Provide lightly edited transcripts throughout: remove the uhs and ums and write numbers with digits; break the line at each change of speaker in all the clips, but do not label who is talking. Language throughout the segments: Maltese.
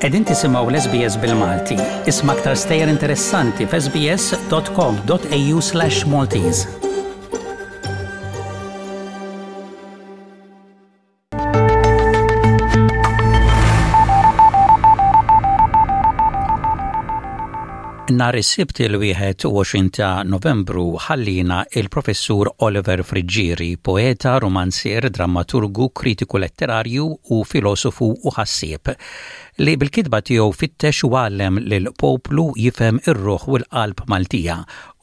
Qegħdin tisimgħu l-SBS bil-Malti. Isma' aktar stejjer interessanti f'sbs.com.au/Maltese. Nhar is-Sibt il-21 ta' Novembru ħallina il-Professur Oliver Friggieri, poeta, romanzier, drammaturgu, kritiku letterarju u filosofu u ħassieb, li bil-kitba tiegħu fittex u għallem lill-poplu jifhem ir-ruħ u l-qalb Maltija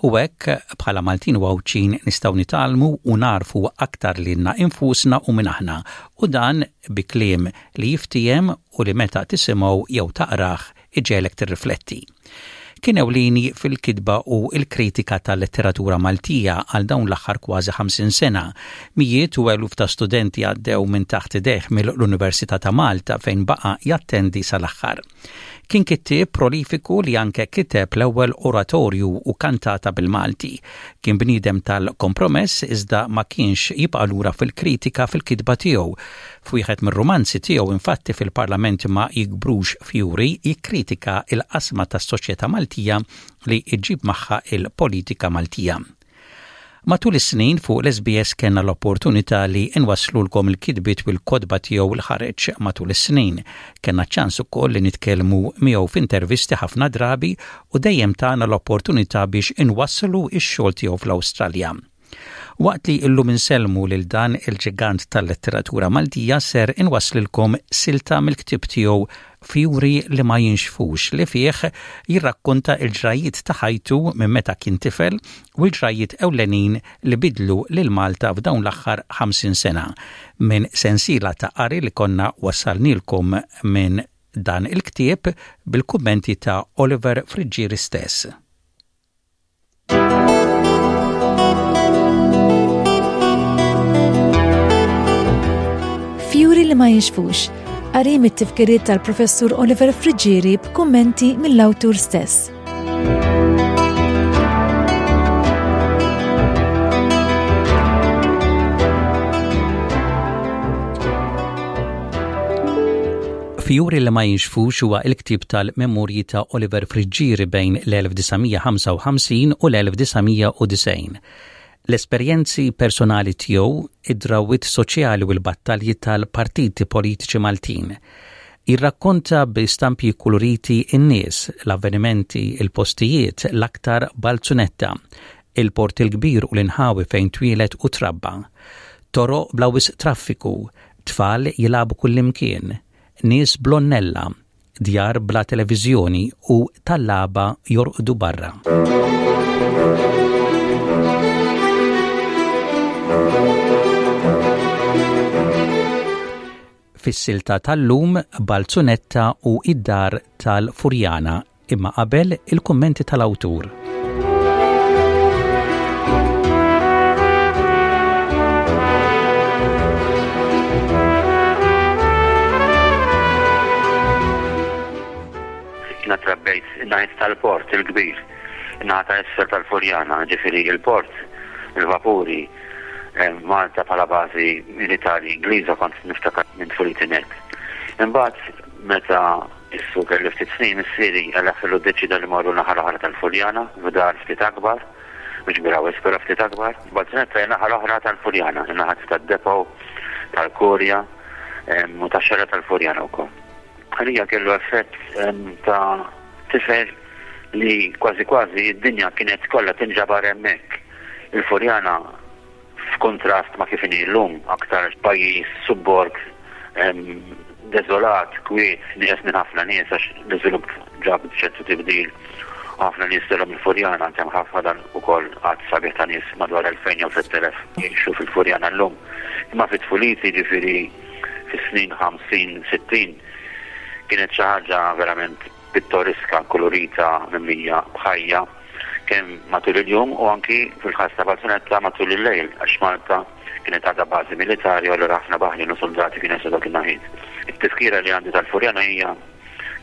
U hekk, bħala Maltin u Għawdxin nistgħu nitgħallmu u nagħrfu aktar lilna infusna u min aħna, u dan bi kliem li jiftiehem u li meta tisimgħu jew taqrah iġegħlek tirrifletti. Kien ewlieni fil-kitba u l-kritika tal-letteratura Maltija għal dawn l-aħħar kważi 50 sena. Mijiet u eluf ta' studenti għaddew minn taħt idejh mill-Università ta' Malta fejn baqa' jattendi sal-aħħar. Kien kittieb prolifiku li anke kiteb l-ewwel oratorju u kantata bil-Malti. Kien bniedem tal-kompromess iżda ma kienx jibqa' lura fil-kritika fil-kitba tiegħu. F'wieħed mir-rumanzi tiegħu infatti fil-Parlament ma jikbrux fjuri jikkritika l-qasma tas-soċjetà Maltija li ġġib magħha l-politika Maltija. Matul is-snin fuq l-SBS kellna l-opportunità li nwasslulkom il-kitbiet u l-kotba tiegħu li ħareġ matul is-snin. Kellna ċ-ċans ukoll li nitkellmu miegħu f'intervisti ħafna drabi u dejjem tana l-opportunità biex inwasslu x-xogħol tiegħu fl-Awstralja. Waqt li illum insellmu lil dan il-ġigant tal-letteratura Maltija ser inwasslilkom silta mill-ktieb tiegħu Fjuri li ma jinxfux li fih jirrakkonta l-ġrajjiet ta' ħajtu minn meta kien tifel u l-ġrajjiet ewlenin li bidlu lil Malta f'dawn l-aħħar 50 sena minn sensiela ta' qari li konna wassalnielkom minn dan il-ktieb bil-kummenti ta' Oliver Friggieri stess.
Fjuri li ma jinxfux, qari mit-tifkiriet tal-Professur Oliver Friggieri b'kummenti mill-awtur stess.
Fjuri li ma jinxfux huwa l-ktieb tal-memorji ta' Oliver Friggieri bejn l-1955 u l-1990. L-esperjenzi personali tiegħu, id-drawwiet soċjali u l-battalji tal-partiti politiċi Maltin. Jirrakkonta bi stampi kkuluriti n-nies, l-avvenimenti, il-postijiet, l-aktar Balzunetta, il-Port il-Kbir u l-inħawi fejn twieled u trabba. Toroq bla wisq traffiku, Tfal jilagħbu kullimkien, nies bl-għonnella, djar bla televiżjoni u tallaba jorqdu barra. Fis-silta tal-lum, Balzunetta u id-dar tal-Furjana Imma qabel il-kummenti tal-awtur.
Jiena trabbejt in-naħiet tal-port il-kbir, in-naħa ta' isfel tal-Furjana, ġifieri il-port, il-vapuri, eh, Malta bħala bażi militari Ingliża kont niftakar minn tfuliti net. Imbagħad meta Issu kelli ftit snin, missieri għall-aħħar ddeċieda li morru naħa l-oħra tal-Furjana, f'dar ftit akbar, mhux kbira wisq, però ftit akbar. Balzunetta hija naħa l-oħra tal-Furjana, in-naħa tad-depot, tal-Kurja u tax-xara tal-Furjana wkoll. Għalija kellu effett ta' tifel li kważi kważi d-dinja kienet kollha tinġabar hemmhekk. Il-Furjana F'kuntrast ma' kif inhi llum, aktar pajjiż, subborg, deżolat, kwiet, nieqes minn ħafna nies għax l-iżvilupp ġab ċertu tibdil u ħafna nies telgħu mill-Furjana, anke ħafna dan ukoll għadd sabiħ ta' nies madwar 2000 jew 3000 jgħixu fil-Furjana llum. Imma fi tfuliti, jiġifieri fis-snin 50, 60, kienet xi ħaġa verament pittoriska, kulurita, mimlija b'ħajja kemm matul il-jum u anki fil-każ ta' Balzunetta matul il-lejl għax Malta kienet għadha bażi militari u allura ħafna baħrin u suldati kienu jaslu dak in-naħiet. It-tifkira li għandi tal-Furjana hija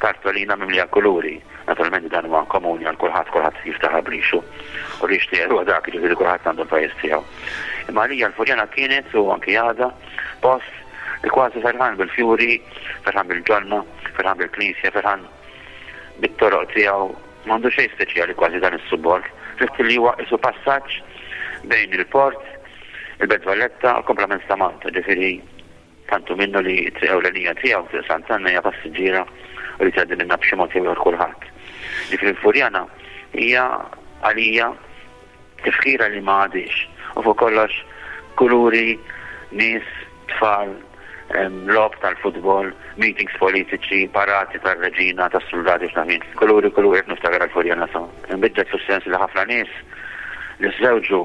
kartolina mimlija kuluri. Naturalment dan huwa komuni għal kulħadd, kulħadd jiftaħar b'rixu u rix tiegħu huwa dak, jiġifieri kulħadd għandu l-pajjiż tiegħu. Imma għalija l-Furjana kienet u anki għadha post. Li kważi ferħan bil-fjuri, ferħan bil-ġonna, ferħan bil-knisja, ferħan bit-toroq tiegħu, m'għandu xejn speċjali kważi dan is-subborg, ħlief li huwa qisu passaġġ bejn il-port, il-Belt Valletta u l-kumplament ta' Malta, ġifieri tant hu minnu li t-triq ewlenija tiegħu, Triq Sant'Anna hija passiġġiera u li tgħaddi minnha b'xi mod jew ieħor kulħadd. Ġifieri l-Furjana hija għalija Tifkira li ma għadhiex. U fuq kollox kuluri, nies, tfal, logħob tal-futbol, meetings politiċi, parati tar-reġina, tas-suldati x'naf jien. Kuluri, kuluri qed niftakar għall-Furjana sa. Inbidlet fis-sens li ħafna nies li żżewġu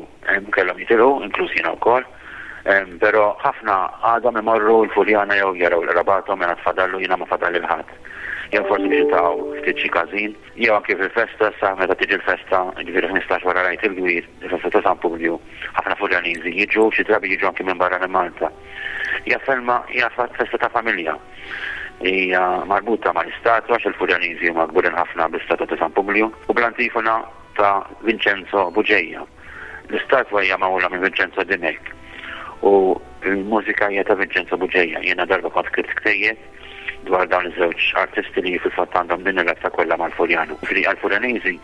kellhom jitilqu, inkluż jiena wkoll. Però ħafna għadhom imorru l-Furjana jew jaraw l-qrabathom, mela tfadallu jiena ma fadalli 'l ħadd. Jew forsi biex jiltaqgħu ftit xi każin. Jew anki fil-festa, sa meta tiġi l-festa, jiġifieri 15 wara l-Għid il-Kbir, il-festa ta' San Publju, ħafna Furjaniżi jiġu, xi drabi jiġu anki minn barra minn Malta. Hija ferma, hija festa ta' familja. Hija marbuta mal-istatwa għax il-Furjaniżi huma kburin ħafna bl-istatwa ta' San Publju u bl-antifona ta' Vincenzo Bugeja. L-istatwa hija magħmula minn Vincenzo Dimech u l-mużika hija ta' Vincenzo Bugeja. Jiena darba kont ktibt ktejjeb dwar dawn iż-żewġ artisti li fil-fatt għandhom din ir-rabta kollha mal-Furjana. Jiġifieri għall-Furjaniżi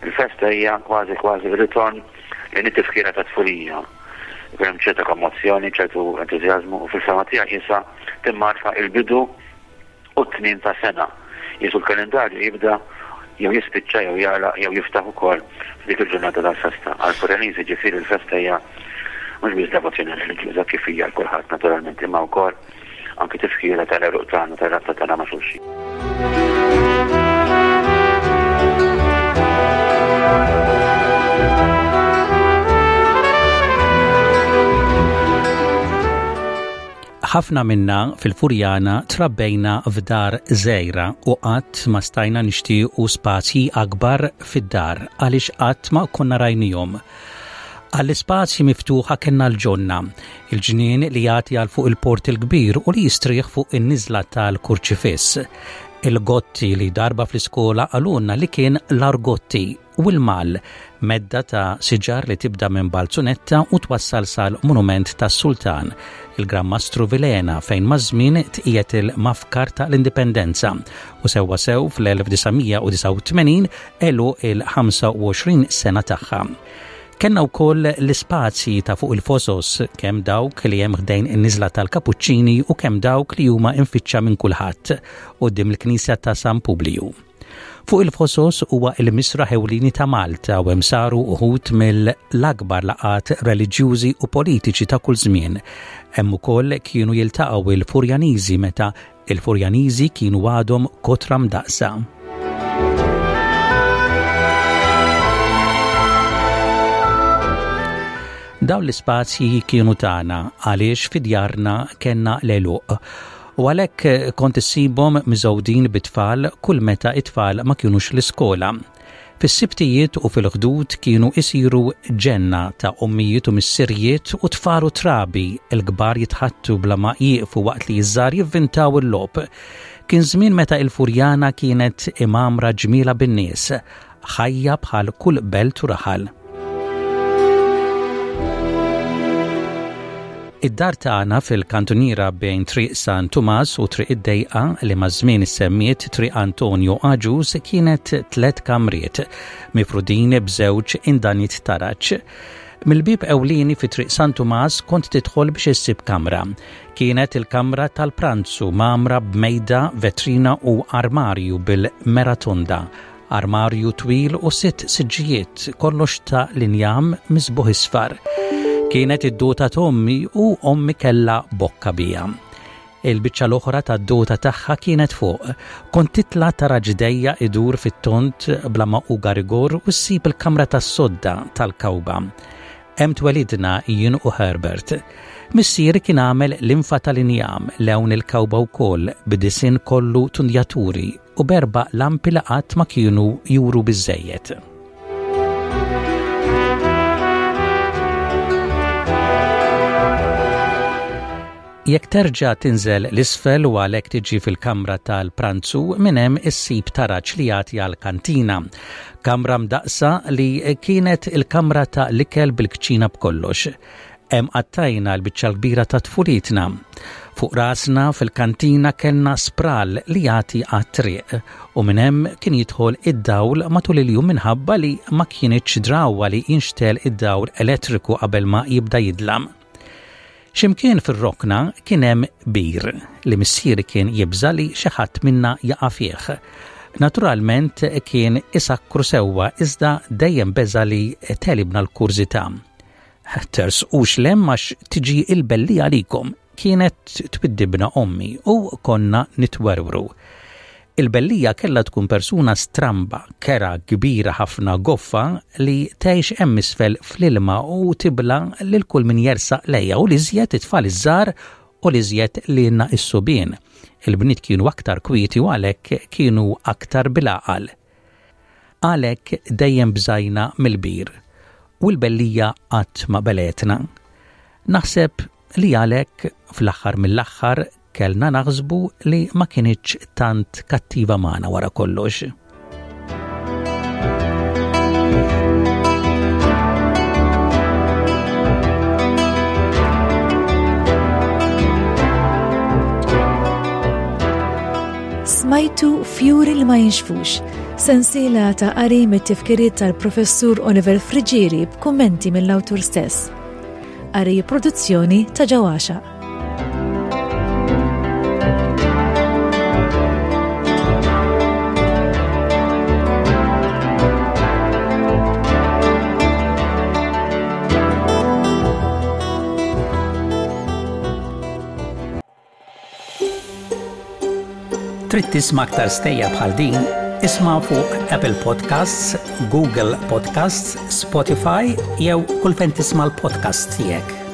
il-festa hija kważi kważi ritorn lejn it-tifkira tat-tfulija. Ikun hemm ċerta kommozzjoni, ċertu entużjażmu u fil-fehma tiegħi qisha timmarka il-bidu u t-tmiem ta' sena. Qisu l-kalendarju jibda jew jispiċċa jew jagħlaq jew jiftaħ ukoll f'dik il-ġurnata tal-festa. Għall-Furjaniżi ġifieri l-festa hija mhux biss devozzjoni reliġjuża kif hija għal kulħadd naturalment imma wkoll anki tifkira tal-għeruq tagħna, tar-rabta tagħna ma' xulxin.
Ħafna minna fil-Furjana trabbejna f'dar żgħira u qatt ma stajna nixtiequ spazji akbar fid-dar għaliex qatt ma konna rajnihom. Għall-ispazji miftuħa kellna l-ġonna, il-ġnien li jagħti għal fuq il-Port il-Kbir u li jistrieħ fuq in-niżla tal-Kurċifiss. Il-Gotti li darba fl-iskola qalulna li kien l-Argotti u l-Mall, medda ta' siġar li tibda minn Balzunetta u twassal sal-Monument tas-Sultan, il-Gran Mastru Vilhena fejn maż-żmien tqiegħed il-Mafkar ta' l-Indipendenza u sewwasew fl-1989 għeluq il-25 sena tagħha. Kellna wkoll l-ispazji ta' fuq il-fosos, kemm dawk li hemm ħdejn in-niżla tal-Kapuċċini u kemm dawk li huma imfittxa minn kulħadd quddiem il-Knisja ta' San Publiju. Fuq il-fosos huwa il-misraħ ewlieni ta' Malta u hemm saru uħud mill-akbar laqgħat reliġjużi u politiċi ta' kull żmien. Hemm ukoll kienu jiltaqgħu il-Furjaniżi meta Il-Furjaniżi kienu għadhom kotra mdaqqsa. Dawn l-ispazji kienu tagħna għaliex fi djarna kellna l-għeluq u għalhekk kont issibhom miżgħudin bit-tfal kull meta t-tfal ma kinux l-iskola. Fis-Sibtijiet u fil-Ħdud kienu isiru ġenna ta' ommijiet u missirijiet u tfal u trabi, il-kbar jitħaddtu bla ma jieqfu waqt li ż-żgħar jivvintaw il-logħob. Kien żmien meta il-Furjana kienet imgħammra ġmielha bin-nies, ħajja bħal kull belt u raħal. Id-dar tagħna fil-kantuniera bejn Triq San Tumas u Triq id-Dejqa li maż-żmien issemmiet Triq Antonio Agius kienet tlet kamriet, mifrudin b'żewġ indaniet taraġ. Mill-bieb ewlieni fi Triq San Tumas kont tidħol biex issib kamra. Kienet il-kamra tal-pranzu mgħammra b'mejda, vetrina u armarju bil-mera tonda. Armarju twil u sitt siġġijiet, kollox ta' l-injam miżbugħ isfar. Kienet id-dota t'ommi u ommi kellha bokka bija. Il-biċċa l-oħra tad-dota tagħha kienet fuq. Kont titla' tara ġdejja idur fit-tond bla ma hu garigor u ssib il-kamra tas-sodda tal-kawba. Hemm twelidna jien u Herbert. Missieri kien għamel linfa tal-injam, lewn il-kawba wkoll, b'disinn kollu tundjaturi u b'erba' lampi li qatt ma kienu juru biżżejjed. Jekk terġa' tinżel 'l isfel u għalhekk tiġi fil-kamra tal-pranzu, minn hemm issib taraġ li jagħti għall-kantina. Kamra mdaqqsa li kienet il-kamra ta' l-ikel bil-kċina b'kollox. Hemm qattajna l-biċċa l-kbira ta' tfulitna. Fuq rasna fil-kantina kellna spral li jagħti għat-triq u minn hemm kien jidħol id-dawl matul il-jum minħabba li ma kienitx drawwa li jinxtel id-dawl elettriku qabel ma jibda jidlam. X'imkien fir-rokna kien hemm bir li missieri kien jibża' li xi ħadd minna jaqa' fih. Naturalment kien isakkru sewwa iżda dejjem beża' li tegħlibna l-kurżità. Tersqux 'l hemm għax tiġi l-belli għalikom, kienet twiddibna ommi u konna nitwerwru. Il-bellija kellha tkun persuna stramba, kerha, kbira ħafna, goffa li tgħix hemm isfel fl-ilma u tibla' lil kull min jersaq lejha u l-iżjed it-tfal iż-żgħar u l-iżjed lilna s-subien. Il-bniet kienu aktar kwieti u għalhekk kienu aktar bil-għaqal. Għalhekk dejjem bżajna mill-bir u l-bellija qatt ma belgħetna. Naħseb li għalhekk fl-aħħar mill-aħħar Kellna naħsbu li ma kinitx tant kattiva magħna wara kollox.
Smajtu Fjuri li ma jinxfux, sensiela ta' qari mit-tifkiriet tal-Professur Oliver Friggieri b'kummenti mill-awtur stess. Qari produzzjoni ta' Ġewwaxa.
Trid tisma' aktar stejjer bħal din? Isma' fuq Apple Podcasts, Google Podcasts, Spotify jew kull fejn tisma' l-podcasts tiegħek.